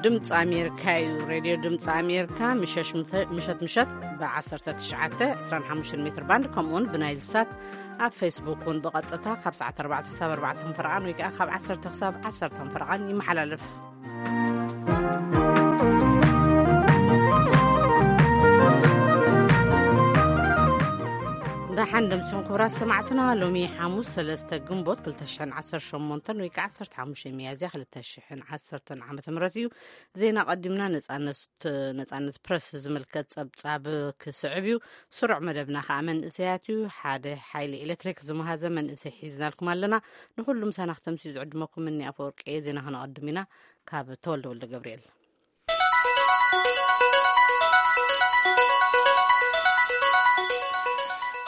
ድምፂ ኣሜሪካ እዩ። ሬድዮ ድምፂ ኣሜሪካ ምሸት ምሸት ብ19፣ 25 ሜትር ባንድ፣ ከምኡውን ብናይል ሳት ኣብ ፌስቡክ እውን ብቐጥታ ካብ ሰዓት ኣርባዕተ ክሳብ ኣርባዕተ ፈረቓን ወይ ከዓ ካብ ዓሰርተ ክሳብ ዓሰርተ ፈረቓን ይመሓላለፍ። ደሓን ደምስኹም ክቡራት ሰማዕትና። ሎሚ ሓሙስ ሰለስተ ግንቦት ክልተ ሽሕን ዓሰርተ ሸሞንተን ወይ ከዓ ዓሰርተ ሓሙሽተ ሚያዝያ ክልተ ሽሕን ዓሰርተን ዓመተ ምህረት እዩ። ዜና ቀዲምና ነጻነት፣ ነጻነት ፕረስ ዝምልከት ጸብጻብ ክስዕብ እዩ። ስሩዕ መደብና ከዓ መንእሰያት እዩ። ሓደ ሓይሊ ኤሌክትሪክ ዝመሃዘ መንእሰይ ሒዝናልኩም ኣለና። ንኹሉ ምሳና ክተምስዩ ዝዕድመኩም እኒ ኣፈወርቂ እየ። ዜና ክነቐድም ኢና። ካብ ተወልደ ወልደ ገብርኤል።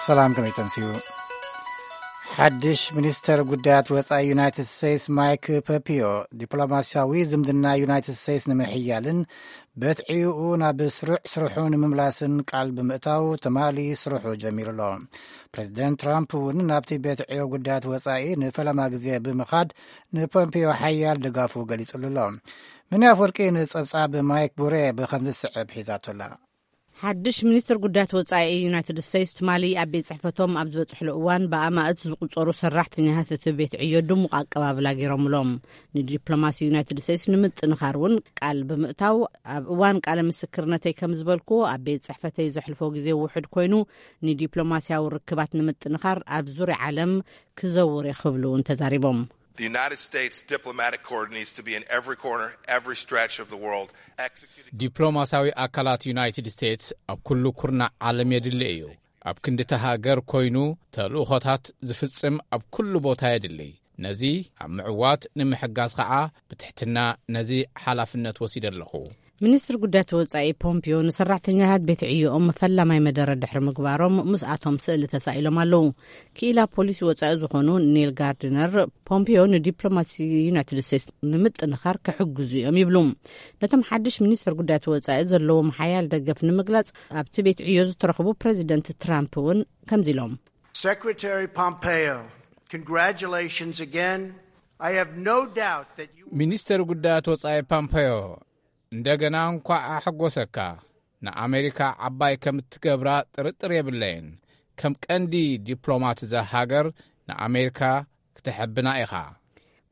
ሰላም፣ ከመይ ተምስዩ? ሓድሽ ሚኒስተር ጉዳያት ወጻኢ ዩናይትድ ስቴትስ ማይክ ፖምፒዮ፣ ዲፕሎማስያዊ ዝምድና ዩናይትድ ስቴትስ ንምሕያልን በትዒኡ ናብ ስሩዕ ስርሑ ንምምላስን ቃል ብምእታው ትማሊ ስርሑ ጀሚሩ ኣሎ። ፕሬዚደንት ትራምፕ እውን ናብቲ ቤት ዕዮ ጉዳያት ወጻኢ ንፈለማ ግዜ ብምኻድ ንፖምፒዮ ሓያል ድጋፉ ገሊጹሉ ኣሎ። ምን ኣፈወርቂ ንጸብጻብ ማይክ ቡሬ ብኸም ዝስዕብ ሒዛቶ ኣላ። ሓድሽ ሚኒስትር ጉዳያት ወጻኢ ዩናይትድ ስቴትስ ትማሊ ኣብ ቤት ጽሕፈቶም ኣብ ዝበጽሕሉ እዋን ብኣማእት ዝቁጸሩ ሰራሕተኛታት እቲ ቤት ዕዮ ድሙቕ ኣቀባብላ ገይሮምሎም። ንዲፕሎማሲ ዩናይትድ ስቴትስ ንምጥንኻር እውን ቃል ብምእታው፣ ኣብ እዋን ቃለ ምስክርነተይ ከም ዝበልኩ ኣብ ቤት ጽሕፈተይ ዘሕልፎ ግዜ ውሑድ ኮይኑ፣ ንዲፕሎማሲያዊ ርክባት ንምጥንኻር ኣብ ዙርያ ዓለም ክዘውር እየ ክብሉ እውን ተዛሪቦም። The United States diplomatic corps needs to be in every corner, every stretch of the world, executing. ዲፕሎማሲያዊ ኣካላት ዩናይትድ ስቴትስ ኣብ ኩሉ ኩርናዕ ዓለም የድሊ እዩ። ኣብ ክንድቲ ሃገር ኮይኑ ተልእኾታት ዝፍጽም ኣብ ኩሉ ቦታ የድሊ። ነዚ ኣብ ምዕዋት ንምሕጋዝ ኸዓ ብትሕትና ነዚ ሓላፍነት ወሲደ ኣለኹ። ሚኒስትር ጉዳያት ወጻኢ ፖምፒዮ ንሰራሕተኛታት ቤት ዕዮኦም ፈላማይ መደረ ድሕሪ ምግባሮም ምስኣቶም ስእሊ ተሳኢሎም ኣለዉ። ክኢላ ፖሊሲ ወጻኢ ዝኾኑ ኒል ጋርድነር፣ ፖምፒዮ ንዲፕሎማሲ ዩናይትድ ስቴትስ ንምጥንኻር ክሕግዙ እዮም ይብሉ። ነቶም ሓድሽ ሚኒስትር ጉዳያት ወጻኢ ዘለዎም ሓያል ደገፍ ንምግላጽ ኣብቲ ቤት ዕዮ ዝተረኽቡ ፕሬዚደንት ትራምፕ እውን ከምዚ ኢሎም። Secretary Pompeo, congratulations again. I have no doubt that you ሚኒስትር ጉዳያት ወጻኢ ፖምፔዮ፣ እንደገና እንኳዕ ኣሐጎሰካ። ንኣሜሪካ ዓባይ ከም እትገብራ ጥርጥር የብለይን። ከም ቀንዲ ዲፕሎማት እዛ ሃገር ንኣሜሪካ ክተሐብና ኢኻ።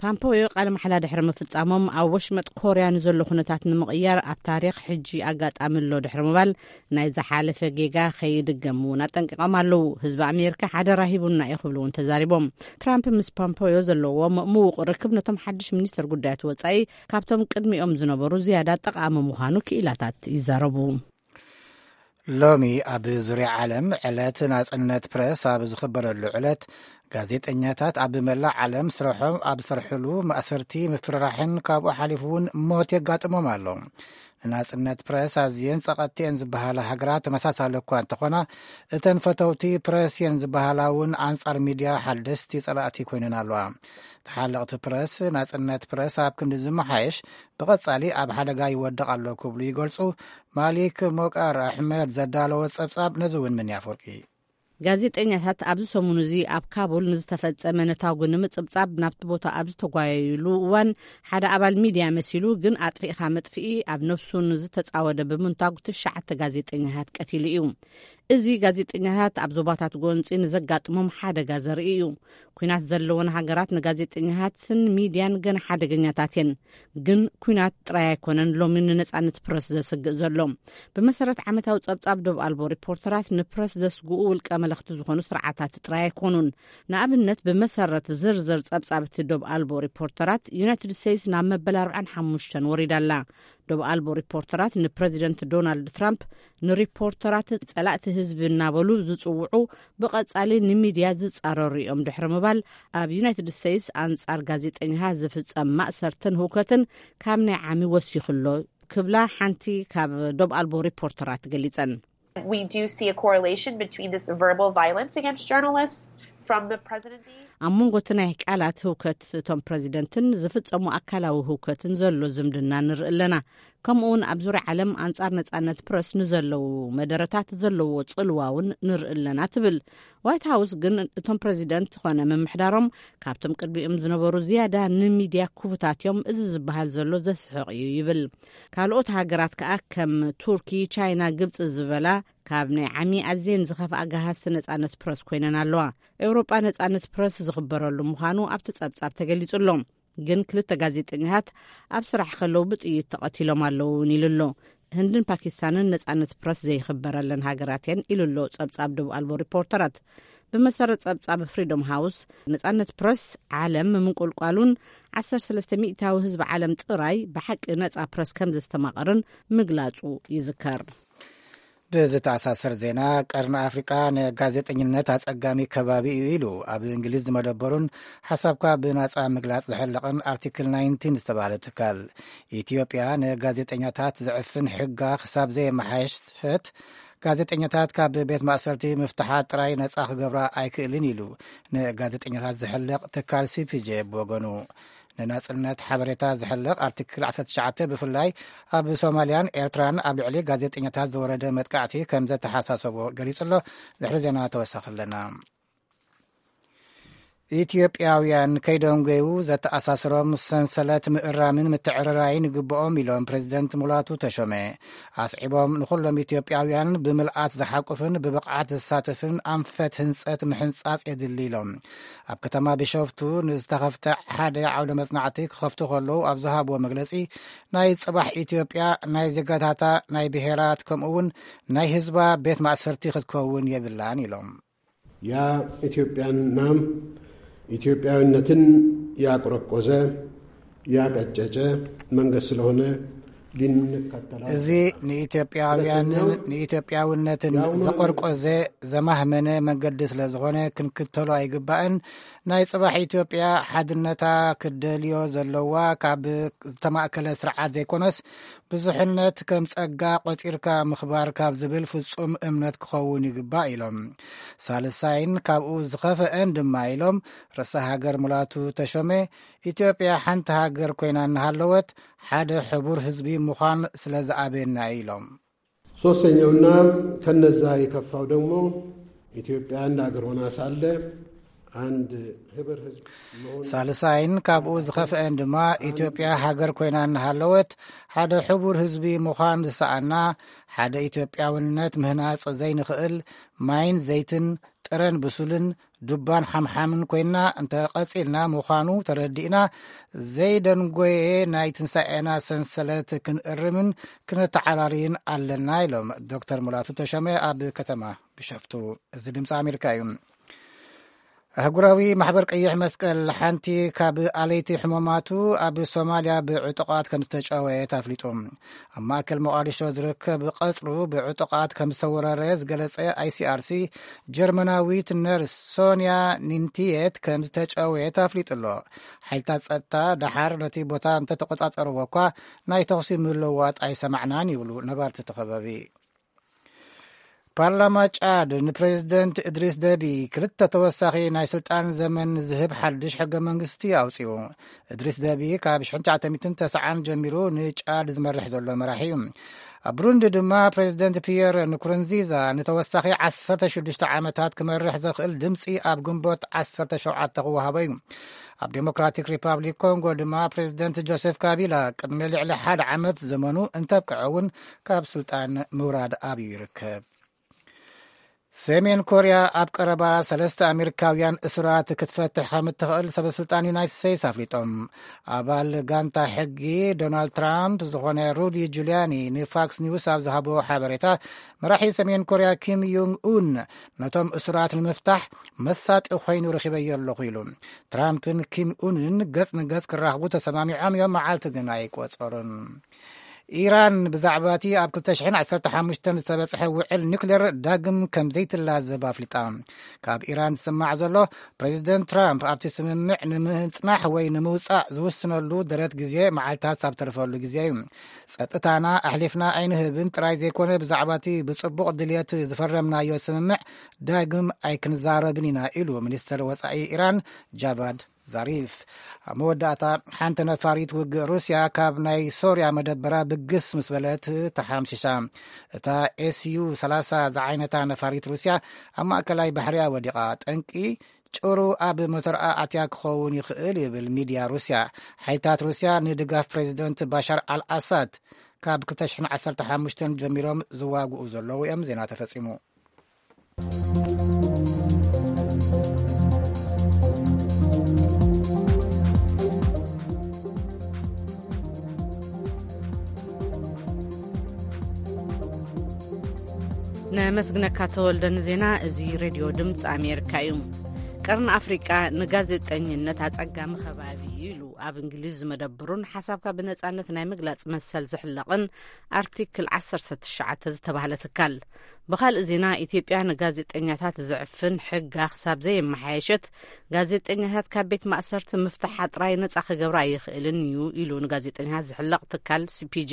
ፓምፖዮ ቃለ ማሕላ ድሕሪ ምፍጻሞም፣ ኣብ ወሽመጥ ኮርያ ንዘሎ ኩነታት ንምቕያር ኣብ ታሪኽ ሕጂ ኣጋጣሚ ኣሎ ድሕሪ ምባል፣ ናይ ዝሓለፈ ጌጋ ከይድገም እውን ኣጠንቂቖም ኣለዉ። ህዝቢ ኣሜሪካ ሓደራ ሂቡና እዩ ክብሉ እውን ተዛሪቦም። ትራምፕ ምስ ፓምፖዮ ዘለዎም ምዉቕ ርክብ ነቶም ሓድሽ ሚኒስትር ጉዳያት ወጻኢ ካብቶም ቅድሚኦም ዝነበሩ ዝያዳ ጠቓሚ ምዃኑ ክኢላታት ይዛረቡ። ሎሚ ኣብ ዙርያ ዓለም ዕለት ናጽነት ፕረስ ኣብ ዝኽበረሉ ዕለት፣ ጋዜጠኛታት ኣብ መላእ ዓለም ስርሖም ኣብ ዝሰርሕሉ ማእሰርቲ፣ ምፍርራሕን ካብኡ ሓሊፉ እውን ሞት የጋጥሞም ኣሎ። ንናጽነት ፕረስ ኣዝየን ጸቐጥቲ እየን ዝበሃላ ሃገራት ተመሳሳሊ እኳ እንተኾና፣ እተን ፈተውቲ ፕረስ እየን ዝበሃላ እውን ኣንጻር ሚድያ ሓደስቲ ጸላእቲ ኮይነን ኣለዋ። ተሓለቕቲ ፕረስ፣ ናጽነት ፕረስ ኣብ ክንዲ ዝመሓየሽ፣ ብቐጻሊ ኣብ ሓደጋ ይወድቕ ኣሎ ክብሉ ይገልጹ። ማሊክ ሞቃር ኣሕመድ ዘዳለዎ ጸብጻብ ነዚ እውን ምን ኣፈወርቂ። ጋዜጠኛታት ኣብዚ ሰሙን እዚ ኣብ ካቡል ንዝተፈጸመ ነታጉ ንምጽብጻብ ናብቲ ቦታ ኣብ ዝተጓየዩሉ እዋን፣ ሓደ ኣባል ሚድያ መሲሉ ግን ኣጥፊእኻ መጥፍኢ ኣብ ነብሱ ንዝተጻወደ ብምንታጉ ትሽዓተ ጋዜጠኛታት ቀቲሉ እዩ። እዚ ጋዜጠኛታት ኣብ ዞባታት ጎንጺ ንዘጋጥሞም ሓደጋ ዘርኢ እዩ። ኲናት ዘለወን ሃገራት ንጋዜጠኛታትን ሚድያን ገና ሓደገኛታት እየን። ግን ኲናት ጥራይ ኣይኮነን ሎሚ ንነጻነት ፕረስ ዘስግእ ዘሎ። ብመሰረት ዓመታዊ ጸብጻብ ዶብ ኣልቦ ሪፖርተራት፣ ንፕረስ ዘስግኡ ውልቀ መለኽቲ ዝኾኑ ስርዓታት ጥራይ ኣይኮኑን። ንኣብነት፣ ብመሰረት ዝርዝር ጸብጻብ እቲ ዶብ ኣልቦ ሪፖርተራት፣ ዩናይትድ ስቴትስ ናብ መበል ኣርባዓን ሓሙሽተን ወሪዳ ኣላ። ዶብ ኣልቦ ሪፖርተራት ንፕረዚደንት ዶናልድ ትራምፕ ንሪፖርተራት ጸላእቲ ህዝቢ እናበሉ ዝጽውዑ፣ ብቐጻሊ ንሚድያ ዝጻረሩ እዮም ድሕሪ ምባል፣ ኣብ ዩናይትድ ስቴትስ ኣንጻር ጋዜጠኛታት ዝፍጸም ማእሰርትን ህውከትን ካብ ናይ ዓሚ ወሲኹ ኣሎ ክብላ ሓንቲ ካብ ዶብ ኣልቦ ሪፖርተራት ገሊጸን። We do see a correlation between this verbal violence against journalists from the presidency. ኣብ መንጎ እቲ ናይ ቃላት ህውከት እቶም ፕረዚደንትን ዝፍጸሙ ኣካላዊ ህውከትን ዘሎ ዝምድና ንርኢ ኣለና። ከምኡ እውን ኣብ ዙርያ ዓለም ኣንጻር ነጻነት ፕረስ ንዘለዉ መደረታት ዘለዎ ጽልዋ እውን ንርኢ ኣለና ትብል። ዋይት ሃውስ ግን እቶም ፕረዚደንት ኮነ ምምሕዳሮም ካብቶም ቅድሚኦም ዝነበሩ ዝያዳ ንሚድያ ክፉታት እዮም፣ እዚ ዝበሃል ዘሎ ዘስሕቕ እዩ ይብል። ካልኦት ሃገራት ከኣ ከም ቱርኪ፣ ቻይና፣ ግብጺ ዝበላ ካብ ናይ ዓሚ ኣዝየን ዝኸፍኣ ገሃዝቲ ነጻነት ፕረስ ኮይነን ኣለዋ። ኤውሮጳ ነጻነት ፕረስ ዝኽበረሉ ምዃኑ ኣብቲ ጸብጻብ ተገሊጹ ኣሎ። ግን ክልተ ጋዜጠኛታት ኣብ ስራሕ ከለዉ ብጥይት ተቐቲሎም ኣለዉ እውን ኢሉ ኣሎ። ህንድን ፓኪስታንን ነጻነት ፕረስ ዘይኽበረለን ሃገራት እየን ኢሉ ኣሎ ጸብጻብ ደቡብ ኣልቦ ሪፖርተራት። ብመሰረት ጸብጻብ ፍሪዶም ሃውስ፣ ነጻነት ፕረስ ዓለም ምንቁልቋሉን ዓሰርተ ሰለስተ ሚእታዊ ህዝቢ ዓለም ጥራይ ብሓቂ ነጻ ፕረስ ከም ዘስተማቐርን ምግላጹ ይዝከር። ብዝተኣሳሰር ዜና፣ ቀርኒ ኣፍሪቃ ንጋዜጠኝነት ኣጸጋሚ ከባቢ እዩ ኢሉ ኣብ እንግሊዝ ዝመደበሩን ሓሳብካ ብናጻ ምግላጽ ዝሕለቕን ኣርቲክል ናይንቲን ዝተባህለ ትካል። ኢትዮጵያ ንጋዜጠኛታት ዝዕፍን ሕጋ ክሳብ ዘየመሓየሸት፣ ጋዜጠኛታት ካብ ቤት ማእሰርቲ ምፍትሓ ጥራይ ነጻ ክገብራ ኣይክእልን ኢሉ ንጋዜጠኛታት ዝሕለቕ ትካል ሲፒጄ ብወገኑ። ንናጽነት ሓበሬታ ዝሕለቕ ኣርቲክል ዓሰርተ ትሽዓተ ብፍላይ ኣብ ሶማልያን ኤርትራን ኣብ ልዕሊ ጋዜጠኛታት ዝወረደ መጥቃዕቲ ከም ዘተሓሳሰቦ ገሊጹ ኣሎ። ድሕሪ ዜና ተወሳኺ ኣለና። ኢትዮጵያውያን ከይደንጎዩ ዘተኣሳስሮም ሰንሰለት ምእራምን ምትዕርራይን ይግብኦም ኢሎም ፕሬዚደንት ሙላቱ ተሾመ። ኣስዒቦም ንኹሎም ኢትዮጵያውያን ብምልኣት ዝሓቁፍን ብብቕዓት ዘሳትፍን ኣንፈት ህንጸት ምሕንጻጽ የድሊ ኢሎም። ኣብ ከተማ ቢሾፍቱ ንዝተኸፍተ ሓደ ዓውደ መጽናዕቲ ክኸፍቱ ከለዉ ኣብ ዝሃብዎ መግለጺ፣ ናይ ጽባሕ ኢትዮጵያ ናይ ዜጋታታ ናይ ብሔራት ከምኡ እውን ናይ ህዝባ ቤት ማእሰርቲ ክትከውን የብላን ኢሎም። ያ ኢትዮጵያንና ኢትዮጵያዊነትን ያቆረቆዘ ያቀጨጨ መንገድ ስለሆነ ሊንከተላ እዚ ንኢትዮጵያውያንን ንኢትዮጵያውነትን ዘቆርቆዘ ዘማህመነ መንገዲ ስለ ዝኾነ ክንክተሎ ኣይግባእን። ናይ ጽባሕ ኢትዮጵያ ሓድነታ ክደልዮ ዘለዋ ካብ ዝተማእከለ ስርዓት ዘይኮነስ ብዙሕነት ከም ጸጋ ቆጺርካ ምኽባር ካብ ዝብል ፍጹም እምነት ክኸውን ይግባእ ኢሎም። ሳልሳይን ካብኡ ዝኸፈአን ድማ ኢሎም ርእሰ ሃገር ሙላቱ ተሾመ፣ ኢትዮጵያ ሓንቲ ሃገር ኮይና እናሃለወት ሓደ ሕቡር ህዝቢ ምዃን ስለ ዝኣበየና እዩ ኢሎም። ሶስተኛውና ከነዛ የከፋው ደግሞ ኢትዮጵያ እንደ ሀገር ሆና ሳለ አንድ ህብር ህዝብ መሆን ሳልሳይን ካብኡ ዝኸፍአን ድማ ኢትዮጵያ ሃገር ኮይና እናሃለወት ሓደ ሕቡር ህዝቢ ምዃን ዝሰኣና ሓደ ኢትዮጵያውነት ምህናጽ ዘይንኽእል ማይን ዘይትን ጥረን ብሱልን ዱባን ሓምሓምን ኮይና እንተቐጺልና ምዃኑ ተረዲእና ዘይደንጎየ ናይ ትንሳኤና ሰንሰለት ክንእርምን ክነተዓራርይን ኣለና ኢሎም ዶክተር ሙላቱ ተሾመ ኣብ ከተማ ቢሾፍቱ። እዚ ድምፂ ኣሜሪካ እዩ። ኣህጉራዊ ማሕበር ቀይሕ መስቀል ሓንቲ ካብ ኣለይቲ ሕሙማቱ ኣብ ሶማልያ ብዕጡቓት ከም ዝተጨወየት ኣፍሊጡ። ኣብ ማእከል ሞቓዲሾ ዝርከብ ቀጽሩ ብዕጡቓት ከም ዝተወረረ ዝገለጸ ኣይሲኣርሲ፣ ጀርመናዊት ነርስ ሶንያ ኒንቲየት ከም ዝተጨወየት ኣፍሊጡ ኣሎ። ሓይልታት ጸጥታ ደሓር ነቲ ቦታ እንተተቆጻጸርዎ እኳ ናይ ተኹሲ ምልውዋጥ ኣይሰማዕናን ይብሉ ነባርቲ እቲ ከባቢ። ፓርላማ ጫድ ንፕሬዚደንት እድሪስ ደቢ ክልተ ተወሳኺ ናይ ስልጣን ዘመን ዝህብ ሓድሽ ሕገ መንግስቲ ኣውጺኡ። እድሪስ ደቢ ካብ ሽሕን ትሽዓተ ሚእትን ተስዓን ጀሚሩ ንጫድ ዝመርሕ ዘሎ መራሒ እዩ። ኣብ ብሩንዲ ድማ ፕሬዚደንት ፒየር ንኩሩንዚዛ ንተወሳኺ ዓሰርተ ሽዱሽተ ዓመታት ክመርሕ ዘኽእል ድምፂ ኣብ ግንቦት ዓሰርተ ሸውዓተ ክወሃቦ እዩ። ኣብ ዴሞክራቲክ ሪፓብሊክ ኮንጎ ድማ ፕሬዚደንት ጆሴፍ ካቢላ ቅድሚ ልዕሊ ሓደ ዓመት ዘመኑ እንተብቅዐ እውን ካብ ስልጣን ምውራድ ኣብዩ ይርከብ። ሰሜን ኮርያ ኣብ ቀረባ ሰለስተ ኣሜሪካውያን እሱራት ክትፈትሕ ከም እትኽእል ሰበ ስልጣን ዩናይትድ ስቴትስ ኣፍሊጦም። ኣባል ጋንታ ሕጊ ዶናልድ ትራምፕ ዝኾነ ሩዲ ጁልያኒ ንፋክስ ኒውስ ኣብ ዝሃቦ ሓበሬታ፣ መራሒ ሰሜን ኮርያ ኪም ዮንግ ኡን ነቶም እሱራት ንምፍታሕ መሳጢ ኮይኑ ረኺበዮ ኣለኹ ኢሉ። ትራምፕን ኪም ኡንን ገጽ ንገጽ ክራኽቡ ተሰማሚዖም እዮም፣ መዓልቲ ግን ኣይቆጸሩን። ኢራን ብዛዕባ እቲ ኣብ ክልተ ሽሕን ዓሰርተ ሓሙሽተን ዝተበጽሐ ውዕል ኒውክሌር ዳግም ከም ዘይትላዘብ ኣፍሊጣ። ካብ ኢራን ዝስማዕ ዘሎ፣ ፕሬዚደንት ትራምፕ ኣብቲ ስምምዕ ንምጽናሕ ወይ ንምውጻእ ዝውስነሉ ደረት ግዜ መዓልታት ኣብ ተርፈሉ ግዜ እዩ። ጸጥታና ኣሕሊፍና ኣይንህብን ጥራይ ዘይኮነ፣ ብዛዕባ እቲ ብጽቡቕ ድልየት ዝፈረምናዮ ስምምዕ ዳግም ኣይክንዛረብን ኢና ኢሉ ሚኒስተር ወጻኢ ኢራን ጃቫድ ዛሪፍ። ኣብ መወዳእታ፣ ሓንቲ ነፋሪት ውግእ ሩስያ ካብ ናይ ሶርያ መደበራ ብግስ ምስ በለት ተሓምሺሻ። እታ ኤስዩ ሰላሳ ዝዓይነታ ነፋሪት ሩስያ ኣብ ማእከላይ ባሕሪያ ወዲቓ። ጠንቂ ጭሩ ኣብ ሞተርኣ ኣትያ ክኸውን ይኽእል ይብል ሚድያ ሩስያ። ሓይልታት ሩስያ ንድጋፍ ፕሬዚደንት ባሻር ኣልኣሳድ ካብ ክልተ ሽሕን ዓሰርተ ሓሙሽተን ጀሚሮም ዝዋግኡ ዘለዉ እዮም። ዜና ተፈጺሙ። ነመስግነካ ተወልደ ንዜና። እዚ ሬድዮ ድምፂ ኣሜሪካ እዩ። ቀርኒ ኣፍሪቃ ንጋዜጠኝነት ኣጸጋሚ ከባቢ እዩ ኢሉ ኣብ እንግሊዝ ዝመደብሩን ሓሳብካ ብነጻነት ናይ ምግላጽ መሰል ዝሕለቕን ኣርቲክል ዓሰርተ ትሽዓተ ዝተባህለ ትካል። ብኻልእ ዜና፣ ኢትዮጵያ ንጋዜጠኛታት ዘዕፍን ሕጋ ክሳብ ዘየመሓየሸት፣ ጋዜጠኛታት ካብ ቤት ማእሰርቲ ምፍታሓ ጥራይ ነጻ ክገብራ ኣይኽእልን እዩ ኢሉ ንጋዜጠኛታት ዝሕለቕ ትካል ሲፒጄ።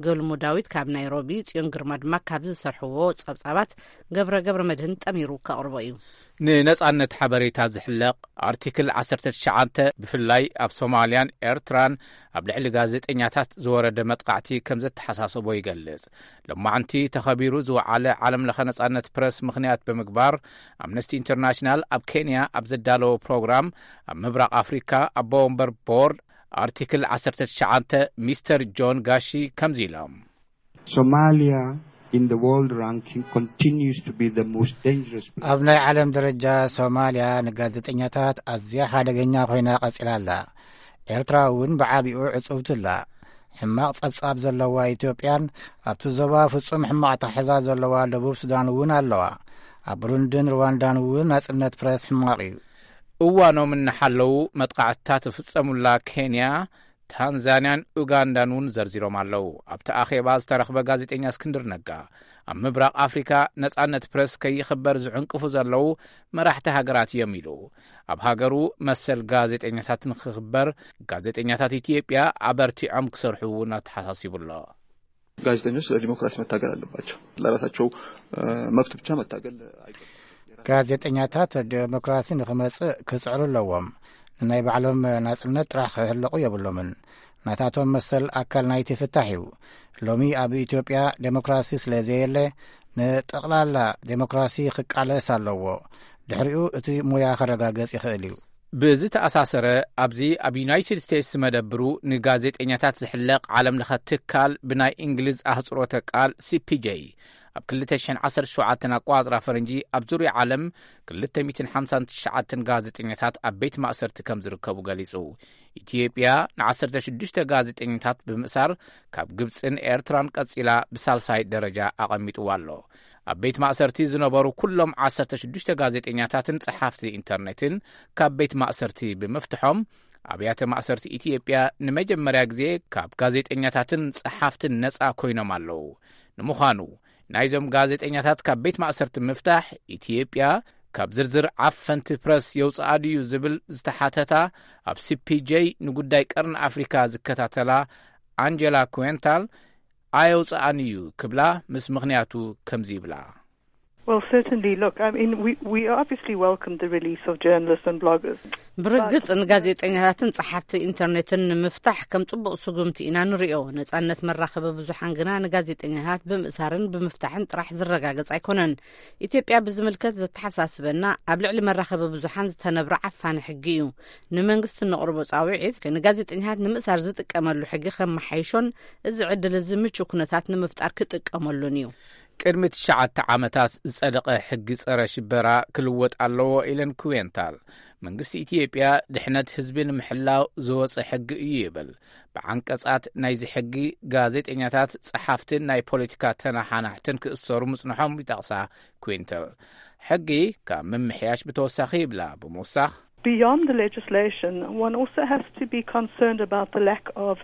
ገልሞ ዳዊት ካብ ናይሮቢ፣ ጽዮን ግርማ ድማ ካብ ዝሰርሕዎ ጸብጻባት ገብረ ገብረ መድህን ጠሚሩ ከቕርቦ እዩ። ንነጻነት ሓበሬታ ዝሕለቕ ኣርቲክል ዓሰርተ ትሽዓተ፣ ብፍላይ ኣብ ሶማልያን ኤርትራን ኣብ ልዕሊ ጋዜጠኛታት ዝወረደ መጥቃዕቲ ከም ዘተሓሳሰቦ ይገልጽ። ሎማዕንቲ ተኸቢሩ ዝወዓለ ዓለም ለኸ ነጻነት ፕረስ ምኽንያት ብምግባር፣ ኣምነስቲ ኢንተርናሽናል ኣብ ኬንያ ኣብ ዘዳለዎ ፕሮግራም፣ ኣብ ምብራቕ ኣፍሪካ ኣቦ ወንበር ቦርድ ኣርቲክል ዓሰርተ ትሽዓተ ሚስተር ጆን ጋሺ ከምዚ ኢሎም። Somalia in the world ranking continues to be the most dangerous place. ኣብ ናይ ዓለም ደረጃ ሶማልያ ንጋዜጠኛታት ኣዝያ ሓደገኛ ኮይና ቀጺላ ኣላ። ኤርትራ እውን ብዓቢኡ ዕጽውቲ ኣላ። ሕማቕ ጸብጻብ ዘለዋ ኢትዮጵያን ኣብቲ ዞባ ፍጹም ሕማቕ ኣተሓሕዛ ዘለዋ ደቡብ ሱዳን እውን ኣለዋ። ኣብ ብሩንድን ሩዋንዳን እውን ናጽነት ፕረስ ሕማቕ እዩ። እዋኖም እናሓለዉ መጥቃዕትታት ዝፍጸሙላ ኬንያ፣ ታንዛንያን ኡጋንዳን እውን ዘርዚሮም ኣለዉ። ኣብቲ ኣኼባ ዝተረኽበ ጋዜጠኛ እስክንድር ነጋ፣ ኣብ ምብራቕ ኣፍሪካ ነጻነት ፕረስ ከይኽበር ዝዕንቅፉ ዘለዉ መራሕቲ ሃገራት እዮም ኢሉ። ኣብ ሃገሩ መሰል ጋዜጠኛታት ንክኽበር፣ ጋዜጠኛታት ኢትዮጵያ ኣበርቲዖም ክሰርሑ እውን ኣተሓሳሲቡ ኣሎ። ጋዜጠኞች ለዲሞክራሲ መታገል አለባቸው። ለራሳቸው መብት ብቻ መታገል አይገባም። ጋዜጠኛታት ዲሞክራሲ ንክመጽእ ክጽዕሩ ኣለዎም። ንናይ ባዕሎም ናጽነት ጥራሕ ክህልቑ የብሎምን። ናታቶም መሰል ኣካል ናይቲ ፍታሕ እዩ። ሎሚ ኣብ ኢትዮጵያ ዴሞክራሲ ስለ ዘየለ፣ ንጠቕላላ ዴሞክራሲ ክቃለስ ኣለዎ። ድሕሪኡ እቲ ሙያ ከረጋገጽ ይኽእል እዩ። ብዝተኣሳሰረ፣ ኣብዚ ኣብ ዩናይትድ ስቴትስ ዝመደብሩ ንጋዜጠኛታት ዝሕለቕ ዓለም ለኸ ትካል፣ ብናይ እንግሊዝ ኣህጽሮተ ቃል ሲፒጄ፣ ኣብ ክልተ ሽሕን ዓሰርተ ሸውዓተን ኣቋጽራ ፈረንጂ ኣብ ዙርያ ዓለም ክልተ ሚእትን ሓምሳን ትሽዓተን ጋዜጠኛታት ኣብ ቤት ማእሰርቲ ከም ዝርከቡ ገሊጹ። ኢትዮጵያ ንዓሰርተ ሽዱሽተ ጋዜጠኛታት ብምእሳር ካብ ግብጽን ኤርትራን ቀጺላ ብሳልሳይ ደረጃ ኣቐሚጥዋ ኣሎ። ኣብ ቤት ማእሰርቲ ዝነበሩ ኩሎም ዓሰርተ ሽዱሽተ ጋዜጠኛታትን ጸሓፍቲ ኢንተርኔትን ካብ ቤት ማእሰርቲ ብምፍትሖም፣ ኣብያተ ማእሰርቲ ኢትዮጵያ ንመጀመርያ ግዜ ካብ ጋዜጠኛታትን ጸሓፍትን ነጻ ኮይኖም ኣለዉ። ንምዃኑ፣ ናይዞም ጋዜጠኛታት ካብ ቤት ማእሰርቲ ምፍታሕ፣ ኢትዮጵያ ካብ ዝርዝር ዓፈንቲ ፕረስ የውጽኣ ድዩ ዝብል ዝተሓተታ፣ ኣብ ሲፒጄ ንጉዳይ ቀርኒ ኣፍሪካ ዝከታተላ ኣንጀላ ኩዌንታል፣ ኣየውጽኣን እዩ ክብላ፣ ምስ ምኽንያቱ ከምዚ ይብላ። Well, certainly, look, I mean, we, we obviously welcome the release of journalists and bloggers. ብርግጽ ንጋዜጠኛታትን ጸሓፍቲ ኢንተርኔትን ንምፍታሕ ከም ጽቡቕ ስጉምቲ ኢና ንሪኦ። ነጻነት መራኸቢ ብዙሓን ግና ንጋዜጠኛታት ብምእሳርን ብምፍታሕን ጥራሕ ዝረጋገጽ ኣይኮነን። ኢትዮጵያ ብዝምልከት ዘተሓሳስበና፣ ኣብ ልዕሊ መራኸቢ ብዙሓን ዝተነብረ ዓፋኒ ሕጊ እዩ። ንመንግስቲ እነቕርቦ ጻውዒት፣ ንጋዜጠኛታት ንምእሳር ዝጥቀመሉ ሕጊ ከመሓይሾን እዚ ዕድል እዚ ምቹ ኩነታት ንምፍጣር ክጥቀመሉን እዩ። ቅድሚ ትሽዓተ ዓመታት ዝጸደቐ ሕጊ ጸረ ሽበራ ክልወጥ ኣለዎ ኢለን ኩዌንታል። መንግስቲ ኢትዮጵያ ድሕነት ህዝቢ ንምሕላው ዝወጸ ሕጊ እዩ ይብል። ብዓንቀጻት ናይዚ ሕጊ ጋዜጠኛታት፣ ጸሓፍትን ናይ ፖለቲካ ተነሓናሕትን ክእሰሩ ምጽንሖም ይጠቕሳ ኩዌንታል። ሕጊ ካብ ምምሕያሽ ብተወሳኺ ይብላ ብምውሳኽ፣ Beyond the legislation, one also has to be concerned about the lack of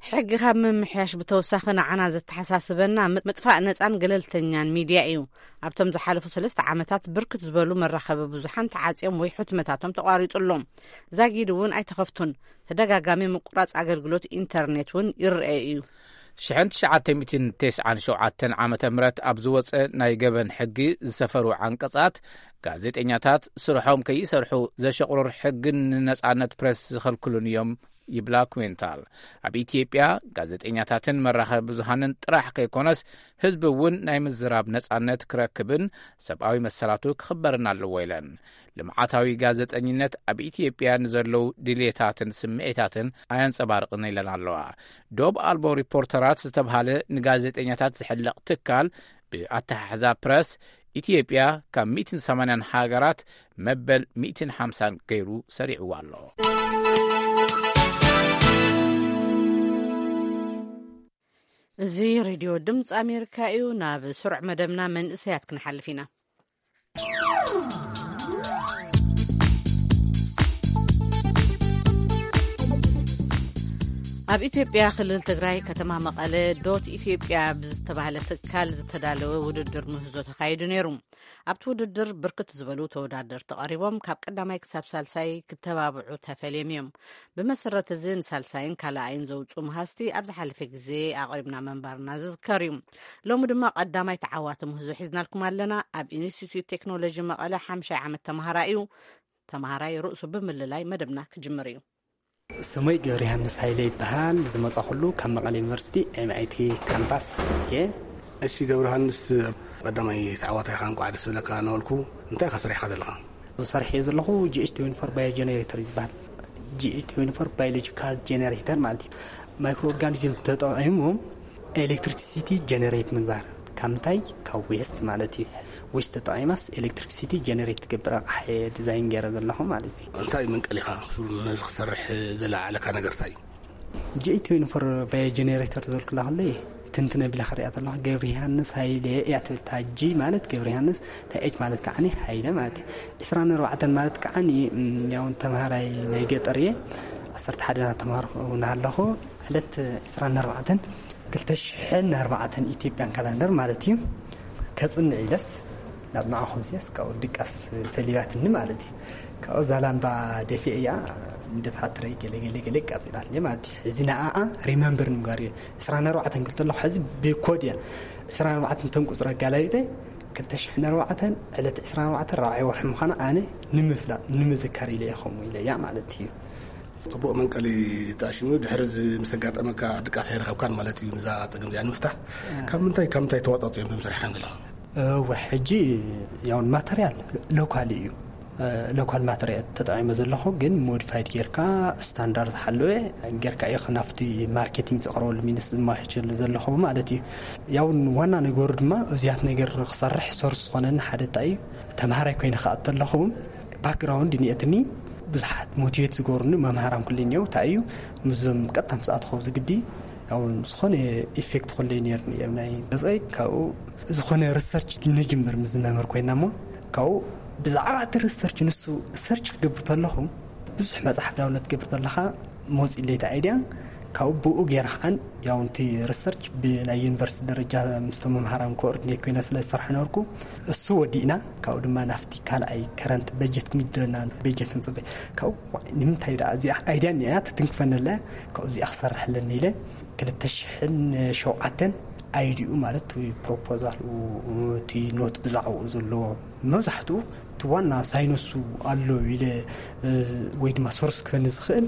ሕጊ ካብ ምምሕያሽ ብተወሳኺ ንዓና ዘተሓሳስበና ምጥፋእ ነጻን ገለልተኛን ሚድያ እዩ። ኣብቶም ዝሓለፉ ሰለስተ ዓመታት ብርክት ዝበሉ መራኸቢ ብዙሓን ተዓጽዮም ወይ ሕትመታቶም ተቋሪጹ ኣሎ። ዛጊድ እውን ኣይተኸፍቱን። ተደጋጋሚ ምቁራጽ ኣገልግሎት ኢንተርኔት እውን ይረአ እዩ። ሽሕን ትሽዓተ ሚእትን ተስዓን ሸውዓተን ዓመተ ምህረት ኣብ ዝወጸ ናይ ገበን ሕጊ ዝሰፈሩ ዓንቀጻት፣ ጋዜጠኛታት ስርሖም ከይሰርሑ ዘሸቕሩር ሕግን ንነጻነት ፕረስ ዝኸልክሉን እዮም ይብላ ኩንታል። ኣብ ኢትዮጵያ ጋዜጠኛታትን መራኸቢ ብዙሃንን ጥራሕ ከይኮነስ ህዝቢ እውን ናይ ምዝራብ ነጻነት ክረክብን ሰብኣዊ መሰላቱ ክኽበርን ኣለዎ ኢለን። ልምዓታዊ ጋዜጠኝነት ኣብ ኢትዮጵያ ንዘለዉ ድሌታትን ስምዒታትን ኣየንጸባርቕን ኢለን ኣለዋ። ዶብ ኣልቦ ሪፖርተራት ዝተብሃለ ንጋዜጠኛታት ዝሕለቕ ትካል ብኣተሓሕዛ ፕረስ ኢትዮጵያ ካብ ሚእትን ሰማንያን ሃገራት መበል ሚእትን ሓምሳን ገይሩ ሰሪዕዋ ኣሎ። እዚ ሬድዮ ድምፂ ኣሜሪካ እዩ። ናብ ስሩዕ መደብና መንእሰያት ክንሓልፍ ኢና። ኣብ ኢትዮጵያ ክልል ትግራይ ከተማ መቐለ ዶት ኢትዮጵያ ብዝተባህለ ትካል ዝተዳለወ ውድድር ምህዞ ተኻይዱ ነይሩ። ኣብቲ ውድድር ብርክት ዝበሉ ተወዳደርቲ ቀሪቦም ካብ ቀዳማይ ክሳብ ሳልሳይ ክተባብዑ ተፈልዮም እዮም። ብመሰረት እዚ ንሳልሳይን ካልኣይን ዘውፅኡ መሃዝቲ ኣብ ዝሓለፈ ግዜ ኣቕሪብና ምንባርና ዝዝከር እዩ። ሎሚ ድማ ቀዳማይ ተዓዋቲ ምህዞ ሒዝናልኩም ኣለና። ኣብ ኢንስቲትዩት ቴክኖሎጂ መቐለ ሓምሻይ ዓመት ተምሃራይ እዩ። ተምሃራይ ርእሱ ብምልላይ መደብና ክጅምር እዩ። ስመይ ገብረ ዮሃንስ ሃይለ ይበሃል። ዝመጻኹሉ ካብ መቐለ ዩኒቨርሲቲ ኤምኣይቲ ካምፓስ እየ። እሺ ገብረ ዮሃንስ፣ ቀዳማይ ተዓዋታይ ኢኻ፣ እንኳዕ ደስ በለካ እናበልኩ፣ እንታይ ኢኻ ሰሪሕካ ዘለኻ? ሰሪሐዮ ዘለኹ ጂኤች ትዌንቲ ፎር ባዮ ጀነሬተር እዩ ዝበሃል። ጂኤች ትዌንቲ ፎር ባዮሎጂካል ጀነሬተር ማለት እዩ። ማይክሮ ኦርጋኒዝም ተጠቒሞም ኤሌክትሪክሲቲ ጀነሬት ምግባር። ካብ ምንታይ? ካብ ዌስት ማለት እዩ። ዌስት ተጠቒማስ ኤሌክትሪክሲቲ ጀነሬት ትገብር ኣቕሓ እየ ዲዛይን ገይረ ዘለኹ ማለት እዩ። እንታይ መንቀሊኻ ነዚ ክሰርሕ ዘለዓዓለካ ነገር እንታይ እዩ? ጂኤች ትዌንቲ ፎር ባዮ ጀነሬተር ዝበልኩላ ከለይ ትንትን ኣቢላ ክሪኣ ከለኹ ገብረ ዮሃንስ ሃይለ እያ ትብል። እታ ጂ ማለት ገብረ ዮሃንስ፣ እታ ኤች ማለት ከዓኒ ሃይለ ማለት እዩ። ዕስራን ኣርባዕተን ማለት ከዓኒ፣ እም፣ ያው ተምሃራይ ናይ ገጠር እየ። ዓሰርተ ሓደ እናተምሃርኩ እናሃለኹ ዕለት ዕስራን ኣርባዕተን ክልተ ሽሕን ኣርባዕተን ኢትዮጵያን ካላንደር ማለት እዩ። ከጽንዕ ኢለስ ናብ ንዓኹም ሲያስ ካብኡ ድቃስ ሰሊባትኒ ማለት እዩ። ካብኡ ዛላምባ ደፊአ እያ፣ ንደፋትረይ ገለ ገለ ገለ ቃጺላትኒ ማለት እዩ። እዚ ንዓኣ ሪመምበር ንምግባር እዩ። ዕስራን ኣርባዕተን ክብል ከለኹ ሕዚ ብኮድ እያ። ዕስራን ኣርባዕተን እቶም ቁጽሪ ኣጋላቢጠ ክልተ ሽሕን ኣርባዕተን ዕለት ዕስራን ኣርባዕተን ራብዓይ ወርሒ ምዃና ኣነ ንምፍላጥ ንምዝካር ኢለ እየ ከምኡ ኢለ እያ ማለት እዩ። ጽቡቕ መንቀሊ ተኣሽሙ። ድሕሪ እዚ ምስ ኣጋጠመካ ድቃስ ኣይረኸብካን ማለት እዩ። ንዛ ጸገም እዚኣ ንምፍታሕ ካብ ምንታይ ካብ ምንታይ ተዋጻጺኦም እዮም ሰሪሕካን ዘለኻ? እወ፣ ሕጂ ያውን ማተርያል ሎካል እዩ። እ፣ ሎካል ማተርያል ተጠቒመ ዘለኹ፣ ግን ሞዲፋይድ ጌርካ ስታንዳርድ ዝሓለወ ጌርካ እዩ ናብቲ ማርኬቲንግ ዝቕርበሉ ሚኒስ ዝማችል ዘለኹ ማለት እዩ። ያውን ዋና ነገሩ ድማ እዚያት ነገር ክሰርሕ ሶርስ ዝኾነኒ ሓደ እንታይ እዩ፣ ተምሃራይ ኮይነ ክኣቱ ኣለኹ። ባክግራውንድ እኒኤትኒ፣ ብዙሓት ሞቲቬት ዝገብሩኒ መምሃራን ኩሉ እኒአው። እንታይ እዩ፣ ምስዞም ቀጥታ ምስ ኣተኸው ዝግዲ፣ ያው ዝኾነ ኢፌክት ኩሉ ነይርኒ እዮም ናይ ገጸይ። ካብኡ ዝኾነ ሪሰርች ንጅምር ምስ መምህር ኮይና እሞ፣ ካብኡ ብዛዕባ እቲ ሪሰርች ንሱ ሰርች ክገብር ተለኹ፣ ብዙሕ መጽሓፍ ዳውንሎድ ክገብር ተለኻ መውፅእ ለይቲ ኣይድያን። ካብኡ ብኡ ገይረ ከዓን ያው እቲ ሪሰርች ብናይ ዩኒቨርሲቲ ደረጃ ምስቶም መምሃራን ኮኦርዲኔት ኮይነ ስለ ዝሰርሐ ነበርኩ፣ እሱ ወዲእና። ካብኡ ድማ ናፍቲ ካልኣይ ከረንት በጀት ክምደና በጀት ንፅበ። ካብኡ ዋይ፣ ንምንታይ ደኣ እዚኣ ኣይድያ እኒኣ ትትንክፈኒ ኣለ። ካብኡ እዚኣ ክሰርሕ ኣለኒ ኢለ ክልተ ሽሕን ሸውዓተን ኣይዲኡ ማለት እቲ ፕሮፖዛል፣ እቲ ኖት ብዛዕባኡ ዘለዎ መብዛሕትኡ እቲ ዋና ሳይነሱ ኣሎ ኢለ፣ እ፣ ወይ ድማ ሶርስ ክህኒ ዝኽእል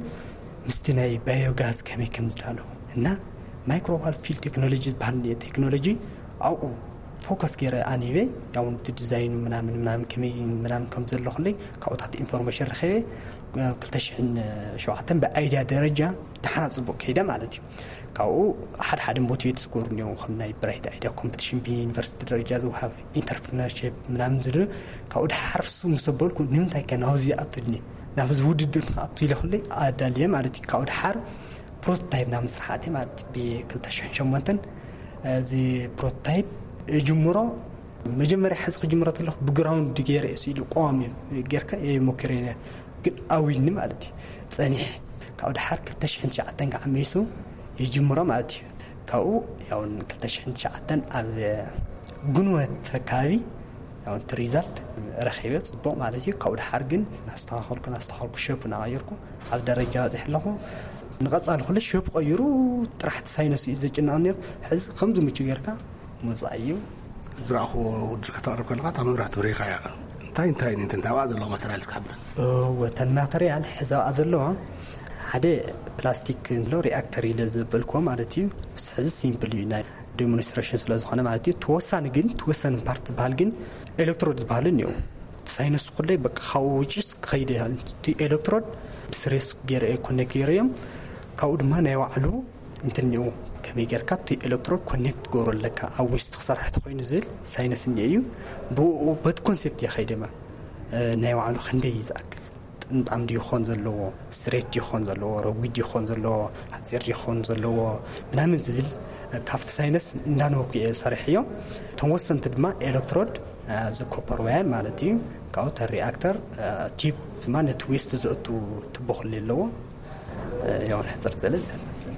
ምስቲ ናይ ባዮጋዝ ከመይ ከም ዝዳለዉ እና ማይክሮዋል ፊልድ ቴክኖሎጂ ዝበሃል ቴክኖሎጂ ኣብኡ ፎከስ ገይረ ኣንቢበ፣ ያው እቲ ዲዛይኑ ምናምን ምናምን ከመይ ምናምን ከም ዘሎ ኩለይ ካብኡታት ኢንፎርሜሽን ረኺበ። ክልተ ሽሕን ሸውዓተን ብኣይድያ ደረጃ ደሓና ጽቡቕ ከይደ ማለት እዩ። ካብኡ ሓደ ሓደ ሞቲቬት ዝገብሩ እኒአው፣ ከም ናይ ብራይት ኣይድያ ኮምፒቲሽን ብዩኒቨርሲቲ ደረጃ ዝወሃብ ኢንተርፕርነርሺፕ ምናምን ዝብል። ካብኡ ደሓር እሱ ምስ ኣበልኩ፣ ንምንታይ ከ ናብዚ ይኣቱ ድኒ ናብዚ ውድድር ንክኣቱ ኢለ ኩለይ ኣዳልየ ማለት እዩ። ካብኡ ደሓር ፕሮቶታይፕ ናብ ምስራሕ ኣትየ ማለት እዩ። ብ ክልተ ሽሕን ሸሞንተን እዚ ፕሮቶታይፕ እጅምሮ፣ መጀመርያ ሕዚ ክጅምሮ ተለኹ ብግራውንድ ገይረ እሱ ኢሉ ቀዋሚ ጌርካ እየ ሞኪረ ነይረ። ግን ኣዊኒ ማለት እዩ። ጸኒሕ ካብኡ ደሓር ክልተ ሽሕን ትሽዓተን ከዓ መይሱ ይጅምሮ ማለት እዩ። ካብኡ ያው ክልተ ሽሕን ትሽዓተን ኣብ ግንቦት ኣካባቢ ያው እቲ ሪዛልት ረኺበ ጽቡቕ ማለት እዩ። ካብኡ ደሓር ግን እናስተኻኸልኩ እናስተኻኸልኩ ሸፕ እናቐየርኩ ኣብ ደረጃ በጺሐ ኣለኹ። ንቐጻሊ ኩሉ ሸፕ ቀይሩ ጥራሕ እቲ ሳይነስ እዩ ዘጭንቕ ነይሩ። ሕዚ ከምዚ ምቹ ጌርካ ምውጻእ እዩ። ዝረኣኽዎ ውድድር ከተቕርብ ከለኻ እታ መብራህቲ በሪኻ እያ። እንታይ እንታይ እንታይ ኣብኣ ዘለዋ ማተርያል ክትሓብረን? ወተን ማተርያል ሕዛኣ ዘለዋ ሓደ ፕላስቲክ እንሎ ሪኣክተር ኢለ ዘበልክዎ ማለት እዩ። ምስ ሕዚ ሲምፕል እዩ ናይ ዴሞንስትሬሽን ስለ ዝኾነ ማለት እዩ። ተወሳኒ ግን ተወሳኒ ፓርት ዝበሃል ግን ኤሌክትሮድ ዝበሃል እኒኦ። ሳይነስ ኩለይ በቃ ካብኡ ውጭስ ክኸይደ ይሃል። እቲ ኤሌክትሮድ ብስሬስ ገይረ ኮኔክት ገይረ እዮም። ካብኡ ድማ ናይ ባዕሉ እንትን እኒኦ። ከመይ ጌርካ እቲ ኤሌክትሮድ ኮኔክት ትገብሮ ኣለካ ኣብ ዌስት ክሰርሕ ተኮይኑ ዝብል ሳይነስ እኒኦ እዩ። ብኡ በቲ ኮንሴፕት እየ ከይደማ ናይ ባዕሉ ክንደይ እዩ ዝኣክል ጥምጣም ድዩ ክኾን ዘለዎ፣ ስትሬት ድዩ ክኾን ዘለዎ፣ ረጒድ ድዩ ክኾን ዘለዎ፣ ሓፂር ድዩ ክኾን ዘለዎ ምናምን ዝብል ካብቲ ሳይነስ እንዳነበኩ እየ ሰሪሕዮ። እቶም ወሰንቲ ድማ ኤሌክትሮድ፣ እዚ ኮፐር ዋየር ማለት እዩ። ካብኡ ተን ሪኣክተር፣ ቲፕ ድማ ነቲ ዌስት ዘእቱ ትቦ ክልል ኣለዎ። ያው ሕፅር ዝበለ ዝመስል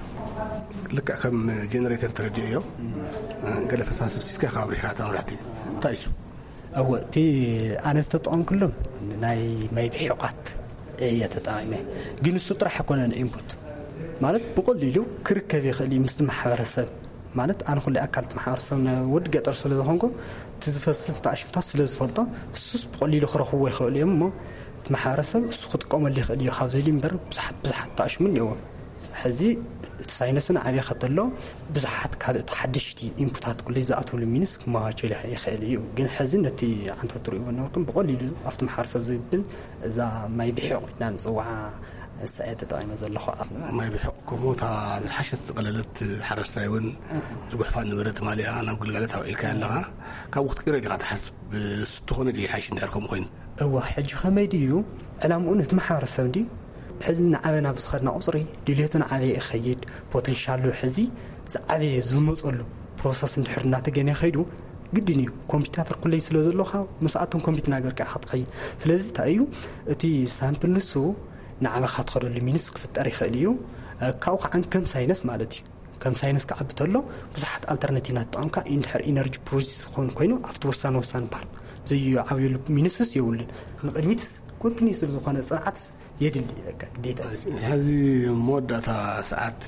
ልክዕ ከም ጀነሬተር ተረዲኦ እዮም። ገለ ፈሳሲ ፍሲስካ ካብ ኣብሪኻ እታ መብራህቲ እንታይ እዩ? እወ፣ እቲ ኣነ ዝተጠቐምኩሎም ናይ ማይ ብሒቋት እየ ተጠቒመ። ግን እሱ ጥራሕ ኣይኮነን ኢንፑት ማለት ብቐሊሉ ክርከብ ይኽእል እዩ ምስቲ ማሕበረሰብ። ማለት ኣነ ኩሉ ኣካል እቲ ማሕበረሰብ ናይ ወዲ ገጠር ስለ ዝኾንኩ እቲ ዝፈስስ ተኣሽምታት ስለ ዝፈልጦ እሱስ ብቐሊሉ ክረኽብዎ ይኽእሉ እዮም እሞ እቲ ማሕበረሰብ እሱ ክጥቀመሉ ይኽእል እዩ ካብ ዝብል እምበር ብዙሓት ብዙሓት ተኣሽሙ እኒአዎ። ሕዚ እቲ ሳይነስን ዓብየ ከተሎ ብዙሓት ካልኦት ሓደሽቲ ኢንፑታት ኩለይ ዝኣትውሉ ሚንስ ክመቻቸሉ ይኽእል እዩ። ግን ሕዚ ነቲ ዓንተት ትርእይዎ ነበርኩም ብቐሊሉ ኣብቲ ማሕበረሰብ ዝብል እዛ ማይ ብሒቕ ኢልና ንፅውዓ እሳ እየ ተጠቒመ ዘለኹ። ኣብ ማይ ብሒቕ ከምኡ እታ ዝሓሸት ዝቐለለት ሓረስታይ እውን ዝጉሕፋ ነበረት ማሊኣ ናብ ግልጋሎት ኣውዒልካያ ኣለኻ። ካብኡ ክትቅይሮ ዲኻ ትሓስብ? እሱ ተኾነ ድዩ ሓይሽ እንድሕር ከምኡ ኮይኑ? እዋ፣ ሕጂ ከመይ ድዩ ዕላምኡ ነቲ ማሕበረሰብ ድዩ? ሕዚ ንዓበና ብዝኸድና ቁፅሪ ድልየቱ ንዓበየ ይኸይድ። ፖቴንሻሉ ሕዚ ዝዓበየ ዝመፀሉ ፕሮሰስ እንድሕር እናተገነ ከይዱ ግድን እዩ። ኮምፒውተር ኩለይ ስለ ዘለኻ ምስኣቶም ኮምፒት ናገርካ ኢኻ ትኸይድ። ስለዚ እንታይ እዩ እቲ ሳምፕል ንሱ ንዓበኻ ትኸደሉ ሚንስ ክፍጠር ይኽእል እዩ። ካብኡ ከዓ ከም ሳይነስ ማለት እዩ። ከም ሳይነስ ክዓቢ ተሎ ብዙሓት ኣልተርናቲቭ እናተጠቐምካ እንድሕር ኢነርጂ ፕሮዲስ ዝኾን ኮይኑ ኣብቲ ወሳኒ ወሳኒ ፓርት ዘይዓብየሉ ሚንስስ የብሉን። ንቕድሚትስ ኮንቲኒስ ዝኾነ ፅንዓትስ የድሊ እዩ። በቃ ግዴታ እዩ። ሕዚ መወዳእታ ሰዓት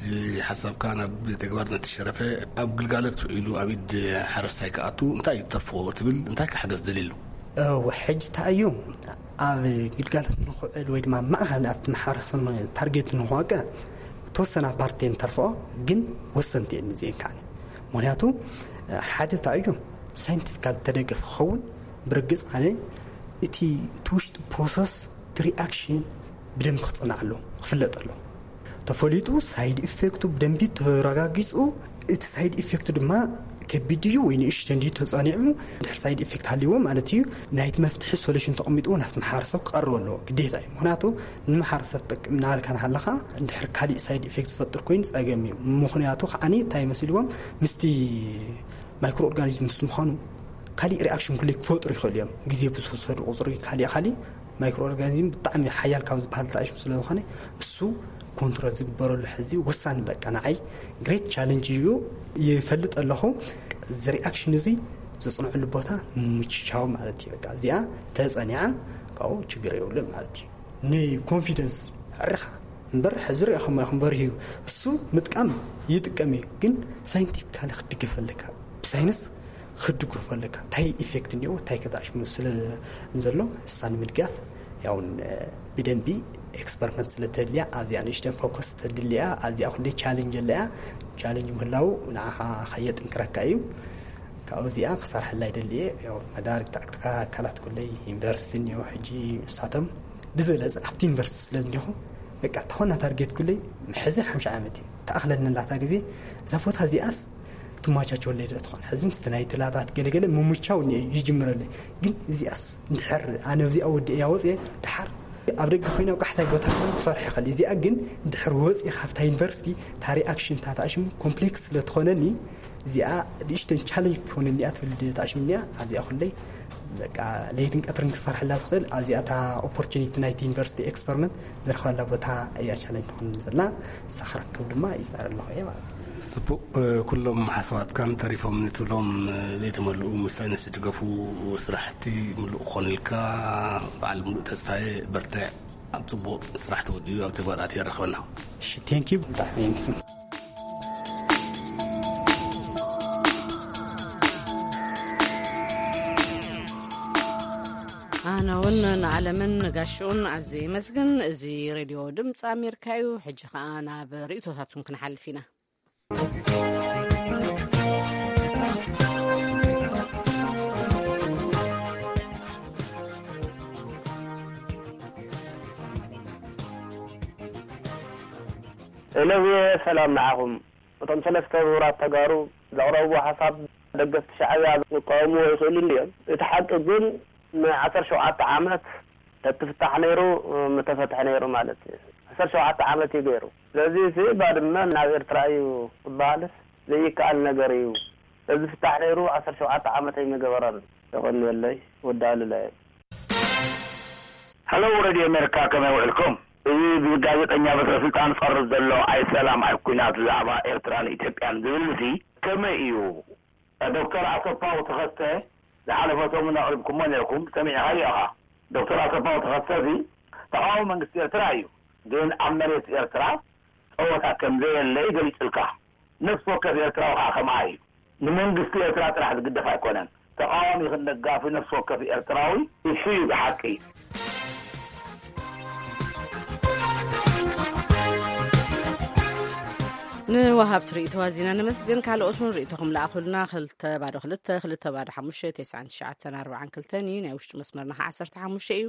ሓሳብካ ናብ ተግባር ነተሸረፈ ኣብ ግልጋሎት ውዒሉ ኣብ ኢድ ሓረስታይ ክኣቱ እንታይ እዩ ተርፎ ትብል? እንታይ ክሓገዝ ደልየሉ? እወ፣ ሕጂ እንታይ እዩ ኣብ ግልጋሎት ንኽውዕል ወይ ድማ ማእኸል ኣብቲ ማሕበረሰብ ታርጌት ንኽወቅዕ ተወሰና ፓርቲ ንተርፍኦ ግን ወሰንቲ እየን እዚአን ከዓኒ። ምክንያቱ ሓደ እንታይ እዩ ሳይንቲፊካል ተደገፍ ክኸውን ብርግፅ ኣነ እቲ እቲ ውሽጢ ፕሮሰስ እቲ ሪኣክሽን ብደንብ ክፅናዕ ኣሎ ክፍለጥ ኣሎ። ተፈሊጡ ሳይድ ኢፌክቱ ብደንቢ ተረጋጊፁ እቲ ሳይድ ኢፌክቱ ድማ ከቢድ እዩ ወይ ንእሽተን ድዩ ተፃኒዑ ድሕር ሳይድ ኢፌክት ሃልይዎ ማለት እዩ ናይቲ መፍትሒ ሶሉሽን ተቐሚጥዎ ናብቲ ማሕበረሰብ ክቐርብ ኣለዎ ግዴታ እዩ። ምክንያቱ ንማሕበረሰብ ትጠቅም እናበልካ እናሃለኻ ድሕር ካሊእ ሳይድ ኢፌክት ዝፈጥር ኮይኑ ፀገም እዩ። ምክንያቱ ከዓኒ እንታይ መሲልዎም ምስቲ ማይክሮ ኦርጋኒዝም ምስ ምዃኑ ካሊእ ሪኣክሽን ኩለይ ክፈጥሩ ይኽእሉ እዮም። ግዜ ብዝወሰዱ ቁፅሪ ካሊእ ካሊእ ማይክሮ ኦርጋኒዝም ብጣዕሚ ሓያል ካብ ዝበሃል ተኣሽሙ ስለ ዝኾነ እሱ ኮንትሮል ዝግበረሉ ሕዚ ወሳኒ በቃ ንዓይ ግሬት ቻለንጅ እዩ። ይፈልጥ ኣለኹ እዚ ሪኣክሽን እዚ ዘፅንዕሉ ቦታ ምችቻው ማለት እዩ። በቃ እዚኣ ተፀኒዓ ካብኡ ችግር የብሉን ማለት እዩ። ንኮንፊደንስ ዕርኻ እምበር ሕዚ ሪኢኹም ኢኹም በሪሁ እዩ። እሱ ምጥቃም ይጥቀም እዩ ግን ሳይንቲፊካሊ ክትድግፍ ኣለካ ብሳይንስ ክትድግፍ ኣለካ እንታይ ኢፌክት እኒኦ እንታይ ከተኣሽሙ ስለ ዘሎ እሳ ንምድጋፍ ያውን ብደንቢ ኤክስፐሪመንት ስለ ተድልያ ኣብዚኣ ንእሽተን ፎከስ ተድልያ ኣብዚኣ ኩለይ ቻለንጅ ኣለያ። ቻለንጅ ምህላው ንዓኻ ከየጥንክረካ እዩ። ካብኡ እዚኣ ክሰርሐላ ይደሊ እየ። ያው መዳርግ ተኣትካ ኣካላት ኩለይ ዩኒቨርሲቲ እኒኦ ሕጂ ንሳቶም ብዝበለፀ ኣብቲ ዩኒቨርሲቲ ስለ ዝኒኹ በቃ ተኾና ታርጌት ኩለይ ሕዚ ሓምሻ ዓመት እዩ ተኣኽለኒ ላታ ግዜ እዛ ቦታ እዚኣስ ትማቻቸወለይ ዶ ትኾን ሕዚ ምስቲ ናይ ትላባት ገለገለ ምሙቻው እኒኦ ይጅምረለይ ግን እዚኣስ እንድሕር ኣነ እዚኣ ወዲ እያ ወፅየ ድሓር ኣብ ደገ ኮይና ኣብ ቃሕታይ ቦታ ክኾን ክሰርሕ ይኽእል እዚኣ ግን እንድሕር ወፂ ካብታ ዩኒቨርሲቲ ታሪ ኣክሽን ታታሽም ኮምፕሌክስ ስለ ትኾነኒ እዚኣ ንእሽተን ቻለንጅ ክኾነኒ እያ ትብል ተኣሽምኒ እያ ኣብዚኣ ኩለይ በቃ ለይትን ቀትርን ክሰርሐላ ዝኽእል ኣብዚኣ እታ ኦፖርቹኒቲ ናይቲ ዩኒቨርሲቲ ኤክስፐሪመንት ዝረኽበላ ቦታ እያ ቻለንጅ ትኾነኒ ዘላ እሳ ክረክብ ድማ ይፃር ኣለኹ እየ ማለት እዩ። ፅቡቅ ኩሎም ሓሳባትካን ተሪፎም ንትብሎም ዘይተመልኡ ምስ ሳይንስ ዝድገፉ ስራሕቲ ምሉእ ክኾኑልካ በዓል ምሉእ ተስፋየ በርትዕ ኣብ ፅቡቅ ስራሕ ተወዲኡ ኣብ ተግባራት የራኽበና። እሺ ቴንክ ዩ ብጣዕሚ ይምስን። ኣነ እውን ንዓለምን ንጋሽኡን ኣዝየ ይመስግን። እዚ ሬድዮ ድምፂ ኣሜሪካ እዩ። ሕጂ ኸኣ ናብ ርእይቶታቱን ክንሓልፍ ኢና። ሄሎ፣ ሰላም ንዓኹም። እቶም ሰለስተ ምሁራት ተጋሩ ዘቕረብዎ ሓሳብ ደገፍቲ ሻዕብያ ክቃወምዎ ይኽእሉ እንድዮም። እቲ ሓቂ ግን ንዓሰርተ ሸውዓተ ዓመት ተትፍታሕ ነይሩ፣ ምተፈትሐ ነይሩ ማለት እዩ። ዓሰርተ ሸውዓተ ዓመት እዩ ገይሩ። ስለዚ እቲ ባድመ ናብ ኤርትራ እዩ ክበሃልስ ዘይከኣል ነገር እዩ። እዚ ፍታሕ ነይሩ ዓሰርተ ሸውዓተ ዓመት ኣይምገበረን። የቐንየለይ፣ ወዲ ኣሉላ እየ። ሀሎ ሬድዮ ኣሜሪካ፣ ከመይ ውዕልኩም? እዚ ብጋዜጠኛ በትረ ስልጣን ዝቐርብ ዘሎ ኣይ ሰላም ኣይ ኩናት ብዛዕባ ኤርትራን ኢትዮጵያን ዝብል እዚ ከመይ እዩ? ዶክተር ኣሰፋው ተኸስተ ዝሓለፈ ሰሙን ኣቕሪብኩሞ ነርኩም፣ ሰሚዕኻዮ ኢኻ። ዶክተር ኣሰፋው ተኸስተ እዚ ተቓዋሚ መንግስቲ ኤርትራ እዩ፣ ግን ኣብ መሬት ኤርትራ ጸወታ ከም ዘየለ እዩ ገሊጹልካ። ነፍሲ ወከፍ ኤርትራዊ ኸዓ ከምኣ እዩ። ንመንግስቲ ኤርትራ ጥራሕ ዝግደፍ ኣይኮነን። ተቓዋሚ ይኹን ደጋፊ ነፍሲ ወከፍ ኤርትራዊ እሱ እዩ ብሓቂ። ንወሃብቲ ርእይቶ ኣዚና ነመስግን። ካልኦት እውን ርእይቶኹም ለኣኹልና። ክልተ ባዶ ክልተ፣ ክልተ ባዶ ሓሙሽተ፣ ተስዓን ትሽዓተን ኣርባዓን ክልተን እዩ። ናይ ውሽጢ መስመርና ከዓ ዓሰርተ ሓሙሽተ እዩ።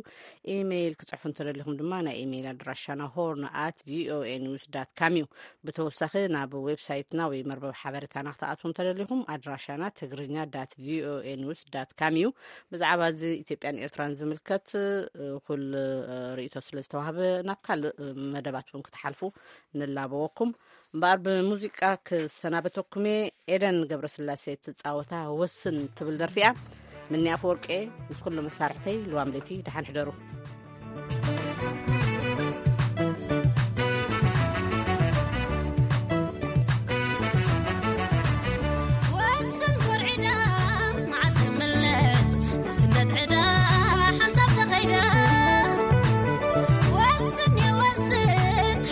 ኢሜይል ክጽሕፉ እንተደሊኹም ድማ ናይ ኢሜይል ኣድራሻና ሆርን ኣት ቪኦኤ ኒውስ ዳት ካም እዩ። ብተወሳኺ ናብ ዌብሳይትና ወይ መርበብ ሓበሬታና ክትኣትዉ እንተደሊኹም ኣድራሻና ትግርኛ ዳት ቪኦኤ ኒውስ ዳት ካም እዩ። ብዛዕባ እዚ ኢትዮጵያን ኤርትራን ዝምልከት እ፣ ኩል እ፣ ርእይቶ ስለ ዝተዋህበ ናብ ካልእ እ፣ መደባት እውን ክትሓልፉ ንላበወኩም። እምበኣር ብሙዚቃ ክሰናበተኩም እየ። ኤደን ገብረስላሴ ትጻወታ ወስን ትብል ደርፊ እያ። ምኒ ኣፈወርቂ ምስ ኩሉ መሳርሕተይ ልዋም ለይቲ ደሓን ሕደሩ። ወስን ኮርዒዳ መዓስ ክምለስ ንስደት ዕዳ ሓንሳብ ተኸይዳ። ወስን የወስን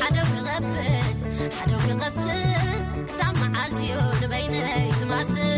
ሓደው ክቐብስ ሓደው ክቐስን ክሳብ መዓስ እዩ ንበይነይ ዝማስን።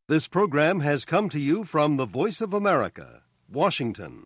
This program has come to you from the Voice of America, Washington.